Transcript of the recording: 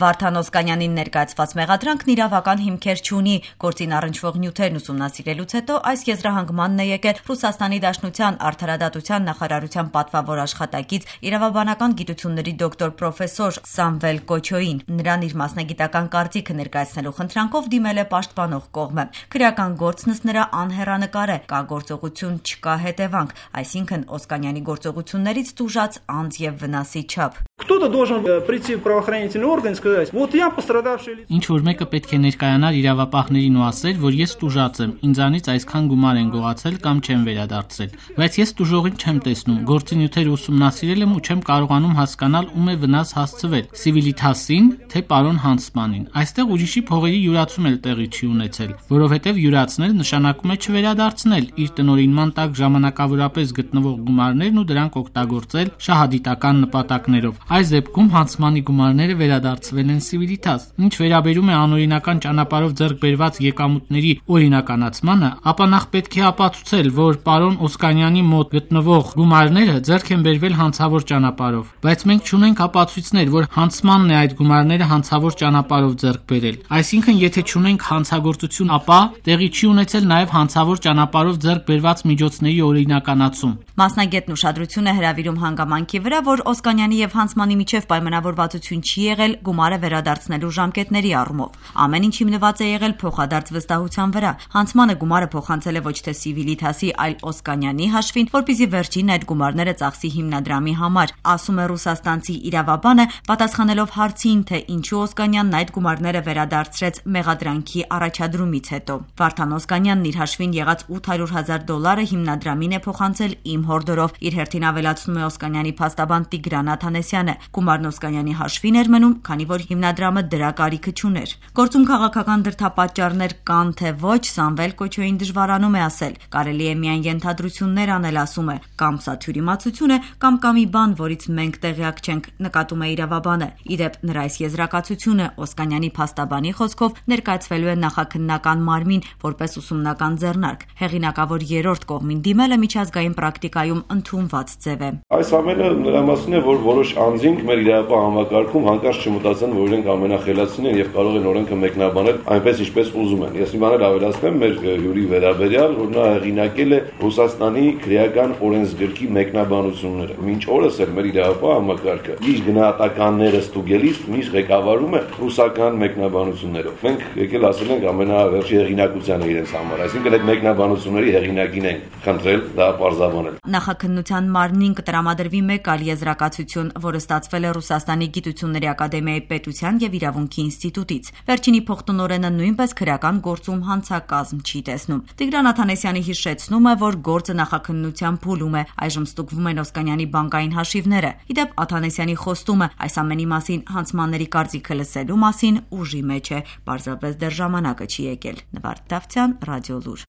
Վարդան Օսկանյանին ներկայացված մեղադրանքն իրավական հիմքեր չունի։ Գործին առնչվող նյութերն ուսումնասիրելուց հետո այս եզրահանգմանն է եկել Ռուսաստանի Դաշնության Արդարադատության նախարարության պատվավոր աշխատակից իրավաբանական գիտությունների դոկտոր պրոֆեսոր Սամվել Կոչոին։ Նրան իր մասնագիտական կարծիքը ներկայացնելու խնդրանքով դիմել է պաշտպանող կողմը։ Քրեական գործն ըստ նրա անհեռանկար է, կա գործողություն, չկա հետևանք, այսինքն Օսկանյանի գործողություններից տուժած անձ եւ վնասի չափ։ Кто-то должен прийти в правоохранительный орган и сказать: «Вот я пострадавший лицо». Ինչ որ մեկը պետք է ներկայանար իրավապահներին ու ասել, որ ես տուժած եմ, ինձանից այսքան գումար են գողացել կամ չեմ վերադարձել, բայց ես տուժողին չեմ տեսնում, գործի նյութերը ուսումնասիրել եմ ու չեմ կարողանում հասկանալ ում է վնաս հասցվել՝ Civilitatis-ին, թե պարոն Հանցմանին։ Այստեղ ուրիշի փողերի յուրացում էլ տեղի չի ունեցել, որովհետև յուրացնել նշանակում է չվերադարձնել իր տնօրինման տակ ժամանակավորապես գտնվող գումարներն ու դրանք օգտագործել շահադիտական նպատակներով։ Այս դեպքում Հանցմանի գումարները վերադարձվել են Civilitatis։ Ինչ վերաբերում է անօրինական ճանապարհով ձեռք բերված եկամուտների օրինականացմանը, ապա նախ պետք է ապացուցել, որ պարոն Օսկանյանի մոտ գտնվող գումարները ձեռք են բերվել հանցավոր ճանապարհով, բայց մենք չունենք ապացույցներ, որ Հանցմանն է այդ գումարները հանցավոր ճանապարհով ձեռք բերել։ Այսինքն, եթե չունենք հանցագործություն, ապա տեղի չի ունեցել նաև հանցավոր ճանապարհով ձեռք բերված միջոցների օրինականացում։ Մասնագետն ուշադրություն է հրավիրում հանգամանքի վրա, որ Օսկանյանի եւ Հանցմանի միջև պայմանավորվածություն չի եղել գումարը վերադարձնելու ժամկետների առումով։ Ամեն ինչ հիմնված է եղել փոխադարձ վստահության վրա։ Հանցմանը գումարը փոխանցել է ոչ թե Civilitatis-ի, այլ Օսկանյանի հաշվին, որպեսզի վերջինն այդ գումարները ծախսի հիմնադրամի համար, ասում է ռուսաստանցի իրավաբանը, պատասխանելով հարցին, թե ինչու Օսկանյանն այդ գումարները վերադարձրեց մեղադրանքի առաջադրումից հետո։ Վարդան Օսկանյանն իր հաշվին եղած $800,000 հիմնադրամին է փոխանցել իմ հորդորով։ Իր հերթին ավելացնում է Օսկանյանի փաստաբան Տիգրան Աթանեսյանը։ Գումարն Օսկանյանի հաշվին էր մնում, քանի որ հիմնադրամը դրա կարիքը չուներ։ Գործում քաղաքական դրդապատճառներ կան թե ոչ, Սամվել Կոչոին դժվարանում է ասել։ Կարելի է միայն ենթադրություններ անել, ասում է, կամ սա թյուրիմացություն է, կամ կա մի բան, որից մենք տեղյակ չենք, նկատում է իրավաբանը։ Ի դեպ, նրա այս եզրակացությունը Օսկանյանի փաստաբանի խոսքով ներկայացվելու է նախաքննական մարմին որպես ուսումնական ձեռնարկ։ Հեղինակավոր երրորդ կողմին դիմելը միջազգային պրակտիկայում ընդունված ձև է։ Այս ամենը նրա մասին է, որ որոշ անձինք մեր իրավապահ համակարգում հանկարծ չմտածեն, որ իրենք ամենախելացին են եւ կարող են օրենքը մեկնաբանել այնպես, ինչպես ուզում են։ Ես մի բան ավելացնեմ մեր հյուրի վերաբերյալ, որ նա հեղինակել է Ռուսաստանի քրեական օրենսգրքի մեկնաբանությունները։ Մինչ օրս էլ մեր իրավապահ համակարգը իր գնահատականները ստուգելիս միշտ ղեկավարում է ռուսական մեկնաբանություններով։ Մենք եկել ասել ենք ամենավերջի հեղինակությանը իրենց համար, այսինքն այդ մեկնաբանությունների հեղինակին ենք խնդրել դա պարզաբանել։ Նախաքննության մարմնին կտրամադրվի մեկ այլ եզրակացություն, որը ստացվել է Ռուսաստանի Գիտությունների ակադեմիայի պետության եւ իրավունքի ինստիտուտից։ Վերջինի փոխտնօրենը նույնպես քրեական գործում հանցակազմ չի տեսնում։ Տիգրան Աթանեսյանի հիշեցնում է, որ գործը նախաքննության փուլում է, այժմ ստուգվում են Օսկանյանի բանկային հաշիվները։ Ի դեպ, Աթանեսյանի խոստումը այս ամենի մասին հանցմանների կարծիքը լսելու մասին ուժի մեջ է, պարզապես դեռ ժամանակը չի եկել։ Նվարդ Դավթյան, Ռադիոլուր։